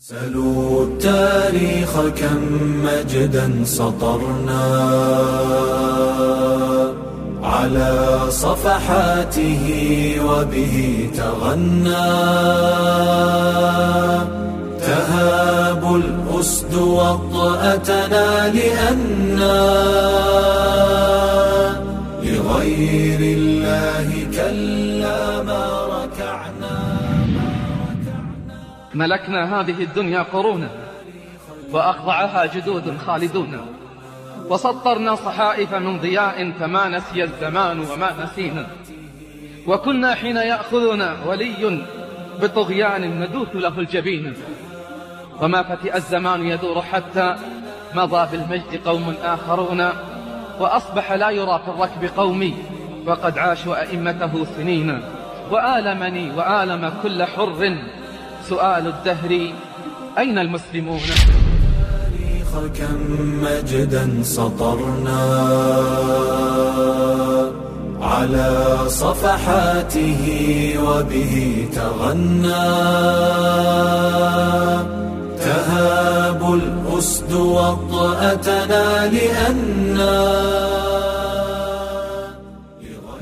سلوا التاريخ كم مجدا سطرنا على صفحاته وبه تغنى تهاب الأسد وطأتنا لأنا لغير الله كلا ما ركعنا. ملكنا هذه الدنيا قرونا وأخضعها جدود خالدون، وسطرنا صحائف من ضياء فما نسي الزمان وما نسينا، وكنا حين يأخذنا ولي بطغيان ندوث له الجبين، وما فتئ الزمان يدور حتى مضى بالمجد قوم آخرون، وأصبح لا يرى في الركب قومي وقد عاشوا أئمته سنين. وآلمني وآلم كل حر سؤال الدهر أين المسلمون؟ كم مجدا سطرنا على صفحاته وبه تغنى تهاب الأسد وطأتنا لأنا.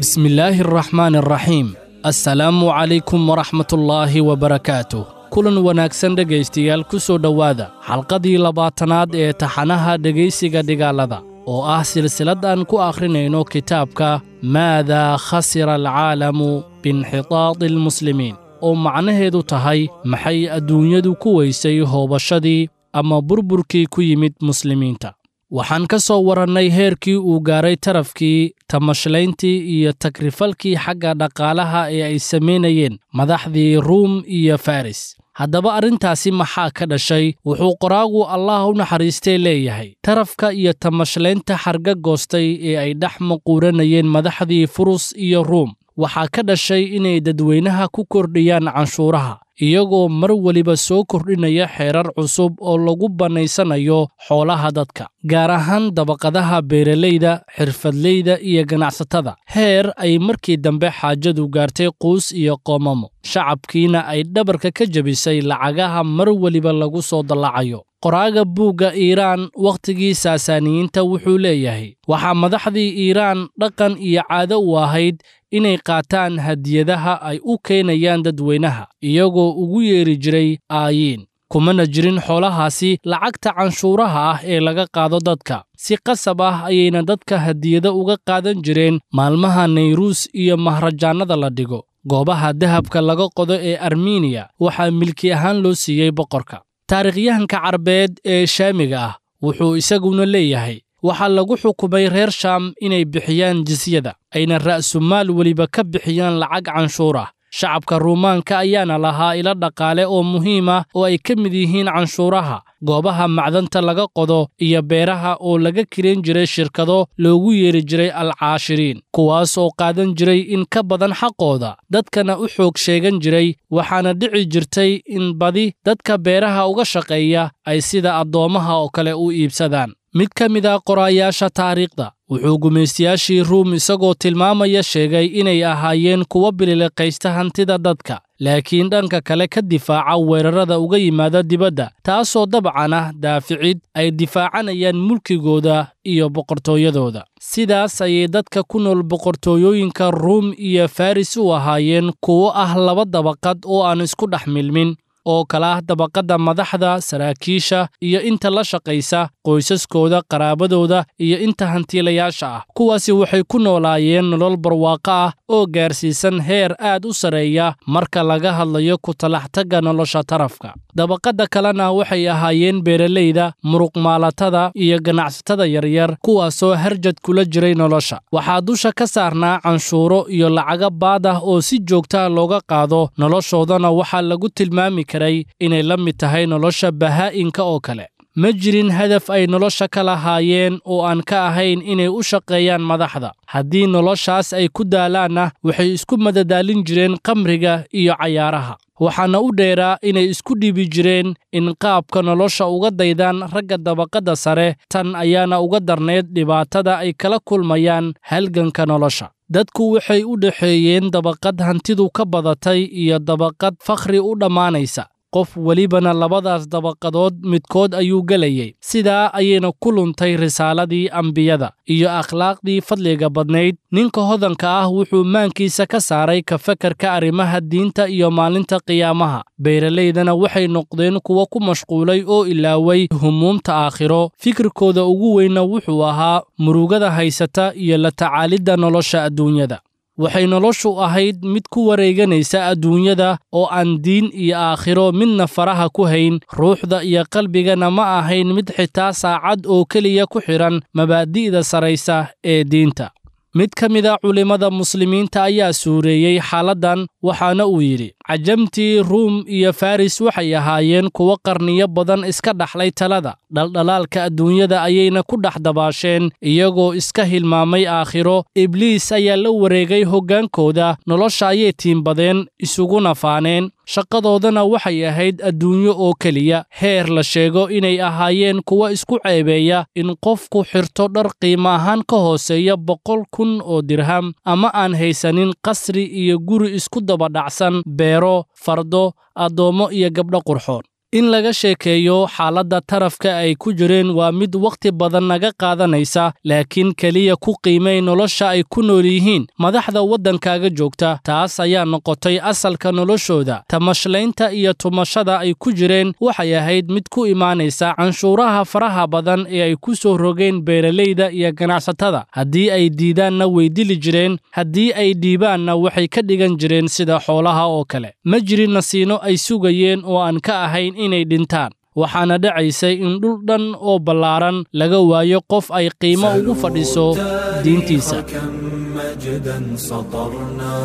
بسم الله الرحمن الرحيم. Assalaamu calaykum waraxmatullaahi wabarakaatuh. Kulan wanaagsan dhegaystayaal, ku soo dhowaada xalqadii 20aad ee taxanaha dhegaysiga dhigaalada oo ah silsilad aan ku akhrinayno kitaabka Maadaa khasira alcaalamu biinxitaadi almuslimiin, oo macnaheedu tahay maxay adduunyadu ku weysay hoobashadii ama burburkii ku yimid muslimiinta. Waxaan ka soo warannay heerkii uu gaaray tarafkii, tamashlayntii iyo takrifalkii xagga dhaqaalaha ee ay samaynayeen madaxdii Ruum iyo Faris. Haddaba arrintaasi maxaa ka dhashay? Wuxuu qoraagu Allah u naxariistay leeyahay, tarafka iyo tamashlaynta xarga goostay ee ay dhex maquuranayeen madaxdii Furus iyo Ruum waxaa ka dhashay inay dadweynaha ku kordhiyaan canshuuraha, iyagoo mar weliba soo kordhinaya xeerar cusub oo lagu bannaysanayo xoolaha dadka, gaar ahaan dabaqadaha beeralayda, xirfadleyda iyo ganacsatada, heer ay markii dambe xaajadu gaartay quus iyo qoomamo, shacabkiina ay dhabarka ka jebisay lacagaha mar weliba lagu soo dallacayo. Qoraaga buugga Iiraan wakhtigii Saasaaniyiinta wuxuu leeyahay, waxaa madaxdii Iiraan dhaqan iyo caado u ahayd inay qaataan hadiyadaha ay u keenayaan dadweynaha, iyagoo ugu yeeri jiray aayiin, kumana jirin xoolahaasi lacagta canshuuraha ah ee laga qaado dadka. Si qasab ah ayayna dadka hadiyado uga qaadan jireen maalmaha Nayruus iyo mahrajaannada la dhigo. Goobaha dahabka laga qodo ee Armeniya waxaa milki ahaan loo siiyey boqorka. Taariikhyahanka Carbeed ee Shaamiga ah wuxuu isaguna leeyahay, waxaa lagu xukumay reer Shaam inay bixiyaan jisyada, ayna ra'sumaal weliba ka bixiyaan lacag canshuur ah. Shacabka Ruumaanka ayaana lahaa ilo dhaqaale oo muhiim ah oo ay ka mid yihiin canshuuraha, goobaha macdanta laga qodo iyo beeraha oo laga kireen jiray shirkado loogu yeeri jiray alcaashiriin, kuwaas oo qaadan jiray in ka badan xaqooda, dadkana u xoog sheegan jiray. Waxaana dhici jirtay in badi dadka beeraha uga shaqeeya ay sida addoommaha oo kale u iibsadaan. Mid ka mid ah qoraayaasha taariikhda wuxuu gumaystayaashii Ruum isagoo tilmaamaya sheegay inay ahaayeen kuwo bililiqaysta hantida dadka, laakiin dhanka kale ka difaaca weerarada uga yimaada dibadda, taasoo dabcan ah daaficid ay difaacanayaan mulkigooda iyo boqortooyadooda. Sidaas ayay dadka ku nool boqortooyooyinka Ruum iyo Faris u ahaayeen kuwo ah laba dabaqad oo aan isku dhex milmin, oo kala ah dabaqadda madaxda, saraakiisha iyo inta la shaqaysa, qoysaskooda, qaraabadooda iyo inta hantiilayaasha ah. Kuwaasi waxay ku noolaayeen nolol barwaaqo ah oo gaarsiisan heer aad u sarreeya marka laga hadlayo ku talaxtagga nolosha tarafka. Dabaqadda kalena waxay ahaayeen beeralayda, muruqmaalatada iyo ganacsatada yaryar, kuwaasoo harjad kula jiray nolosha. Waxaa dusha ka saarnaa canshuuro iyo lacago baad ah oo si joogta ah looga qaado, noloshoodana waxaa lagu tilmaami karay inay la mid tahay nolosha bahaa'inka oo kale. Ma jirin hadaf ay nolosha ka lahaayeen oo aan ka ahayn inay u shaqeeyaan madaxda. Haddii noloshaas ay ku daalaanna, waxay isku madadaalin jireen khamriga iyo cayaaraha. Waxaana u dheeraa inay isku dhibi jireen in qaabka nolosha uga daydaan ragga dabaqadda sare, tan ayaana uga darnayd dhibaatada ay kala kulmayaan halganka nolosha. Dadku waxay u dhexeeyeen dabaqad hantidu ka badatay iyo dabaqad fakhri u dhammaanaysa. Qof welibana labadaas dabaqadood midkood ayuu gelayay. Sidaa ayayna ku luntay risaaladii ambiyada iyo akhlaaqdii fadliga badnayd. Ninka hodanka ah wuxuu maankiisa ka saaray ka fakarka arrimaha diinta iyo maalinta qiyaamaha. Beeralaydana waxay noqdeen kuwo ku mashquulay oo ilaaway humuumta aakhiro. Fikirkooda ugu weynna wuxuu ahaa murugada haysata iyo la tacaalidda nolosha adduunyada. Waxay noloshu ahayd mid ku wareeganaysa adduunyada oo aan diin iyo aakhiro midna faraha ku hayn. Ruuxda iyo qalbigana ma ahayn mid xitaa saacad oo keliya ku xidhan mabaadi'da saraysa ee diinta. Mid ka mid a culimmada muslimiinta ayaa suureeyey xaaladdan, waxaana uu yidhi: Cajamtii Ruum iyo Faris waxay ahaayeen kuwo qarniyo badan iska dhaxlay talada. Dhaldhalaalka adduunyada ayayna ku dhex dabaasheen iyagoo iska hilmaamay aakhiro. Ibliis ayaa la wareegay hoggaankooda, nolosha ayay tiimbadeen isuguna faaneen. Shaqadoodana waxay ahayd adduunyo oo keliya. Heer la sheego inay ahaayeen kuwo isku ceebeeya in qofku xirto dhar qiimo ahaan ka hooseeya 100,000 oo dirham, ama aan haysanin qasri iyo guri isku daba dhacsan, beero, fardo, addoommo iyo gabdho qurxoon. In laga sheekeeyo xaaladda tarafka ay ku jireen waa mid wakhti badan naga qaadanaysa, laakiin keliya ku qiimay nolosha ay ku nool yihiin madaxda waddankaaga joogta. Taas ayaa noqotay asalka noloshooda. Tamashlaynta iyo tumashada ay ku jireen waxay ahayd mid ku imaanaysa canshuuraha faraha badan ee ay ku soo rogeen beeralayda iyo ganacsatada. Haddii ay diidaanna way dili jireen, haddii ay dhiibaanna waxay ka dhigan jireen sida xoolaha oo kale. Ma jirin nasiino ay sugayeen oo aan ka ahayn inay dhintaan. Waxaana dhacaysay in dhul dhan oo ballaaran laga waayo qof ay qiimo ugu fadhiso diintiisa. كم مجدا سطرنا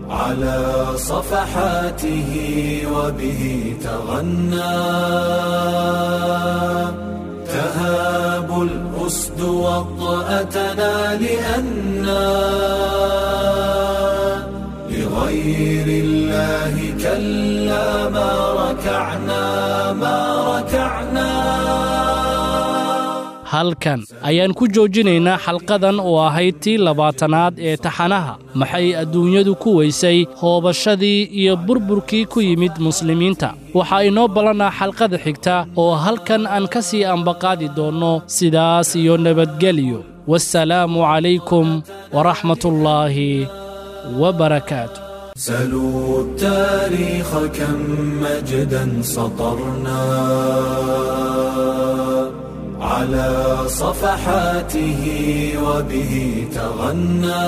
على صفحاته وبه تغنى، تهاب الأسد وطأتنا لأنا لغير الله كلا ما ركعنا ما ركعنا. Halkan ayaan ku joojinaynaa xalqadan oo ahayd tii 20aad ee taxanaha Maxay adduunyadu ku weysay hoobashadii iyo burburkii ku yimid muslimiinta. Waxaa inoo ballanaa xalqada xigta oo halkan aan ka sii ambaqaadi doonno. Sidaas iyo nabadgelyo. Wassalaamu calaykum waraxmatullaahi wabarakaatu. سلوا التاريخ كم مجدا سطرنا على صفحاته وبه تغنى،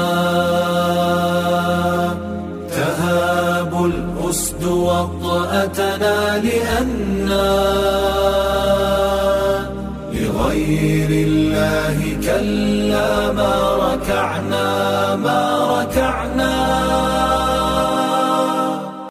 تهاب الأسد وطأتنا لأنا لغير الله كلا ما ركعنا ما